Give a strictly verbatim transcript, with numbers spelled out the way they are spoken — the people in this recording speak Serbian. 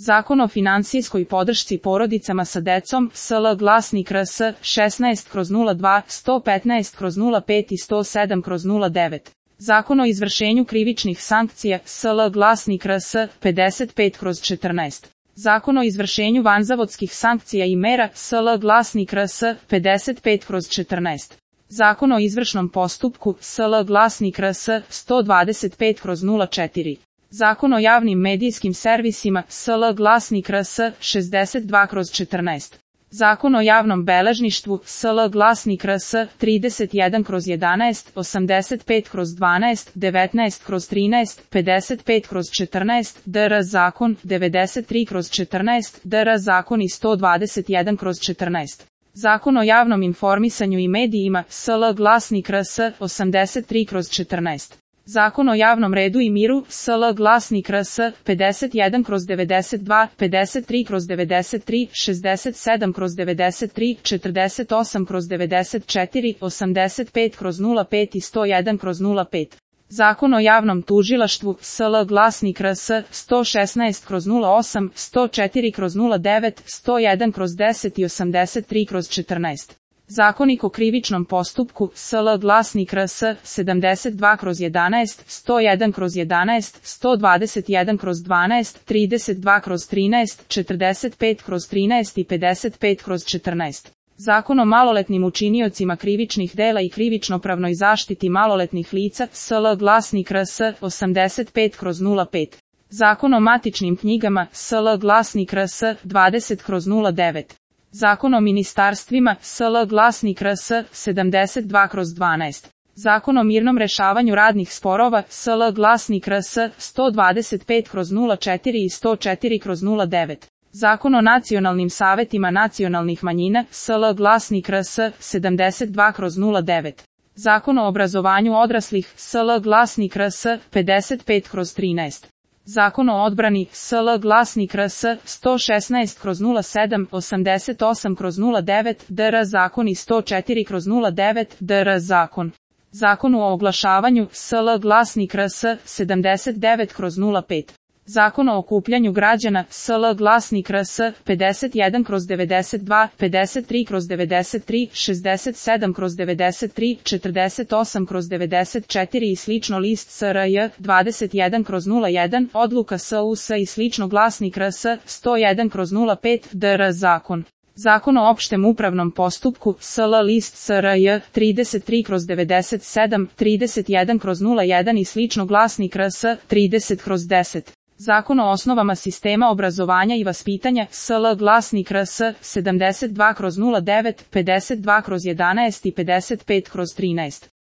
Zakon o finansijskoj podršci porodicama sa decom, S L glasnik R S šesnaest kroz nula dva, sto petnaest kroz nula pet i sto sedam kroz nula devet. Zakon o izvršenju krivičnih sankcija, S L glasnik R S pedeset pet kroz četrnaest. Zakon o izvršenju vanzavodskih sankcija i mera, S L glasnik R S pedeset pet kroz četrnaest. Zakon o izvršnom postupku, S L glasnik R S sto dvadeset pet kroz nula četiri. Zakon o javnim medijskim servisima, S L glasnik R S šezdeset dva kroz četrnaest. Zakon o javnom beležništvu, S L glasnik R S trideset jedan kroz jedanaest, osamdeset pet kroz dvanaest, devetnaest kroz trinaest, pedeset pet kroz četrnaest, D R zakon, devedeset tri kroz četrnaest, D R zakon i sto dvadeset jedan kroz četrnaest. Zakon o javnom informisanju i medijima, S L glasnik R S osamdeset tri kroz četrnaest. Zakon o javnom redu i miru, S L glasnik R S pedeset jedan kroz devedeset dva, pedeset tri kroz devedeset tri, šezdeset sedam kroz devedeset tri, četrdeset osam kroz devedeset četiri, osamdeset pet kroz nula pet i sto jedan kroz nula pet. Zakon o javnom tužilaštvu, S L glasnik R S sto šesnaest kroz nula osam, sto četiri kroz nula devet, sto jedan kroz deset i osamdeset tri kroz četrnaest. Zakonik o krivičnom postupku, S L glasnik R S sedamdeset dva kroz jedanaest, sto jedan kroz jedanaest, sto dvadeset jedan kroz dvanaest, trideset dva kroz trinaest, četrdeset pet kroz trinaest i pedeset pet kroz četrnaest. Zakon o maloletnim učiniocima krivičnih dela i krivično-pravnoj zaštiti maloletnih lica, S L glasnik R S osamdeset pet kroz nula pet. Zakon o matičnim knjigama, S L glasnik R S dvadeset kroz nula devet. Zakon o ministarstvima, S L glasnik R S sedamdeset dva kroz dvanaest. Zakon o mirnom rešavanju radnih sporova, S L glasnik R S sto dvadeset pet kroz nula četiri i sto četiri kroz nula devet. Zakon o nacionalnim savetima nacionalnih manjina, S L glasnik R S sedamdeset dva kroz nula devet. Zakon o obrazovanju odraslih, S L glasnik R S pedeset pet kroz trinaest. Zakon o odbrani, S L glasnik R S sto šesnaest kroz nula sedam, osamdeset osam kroz nula devet, D R zakon i sto četiri kroz nula devet, D R zakon. Zakon o oglašavanju, S L glasnik R S sedamdeset devet kroz nula pet. Zakon o okupljanju građana, S L glasnik R S pedeset jedan kroz devedeset dva, pedeset tri kroz devedeset tri, šezdeset sedam kroz devedeset tri, četrdeset osam kroz devedeset četiri i slično list S R J dvadeset jedan kroz nula jedan, odluka S U S i slično glasnik R S sto jedan kroz nula pet, D R zakon. Zakon o opštem upravnom postupku, S L list S R J trideset tri kroz devedeset sedam, trideset jedan kroz nula jedan i slično glasnik R S trideset kroz deset. Zakon o osnovama sistema obrazovanja i vaspitanja, S L glasnik R S sedamdeset dva kroz nula devet, pedeset dva kroz jedanaest i pedeset pet kroz trinaest.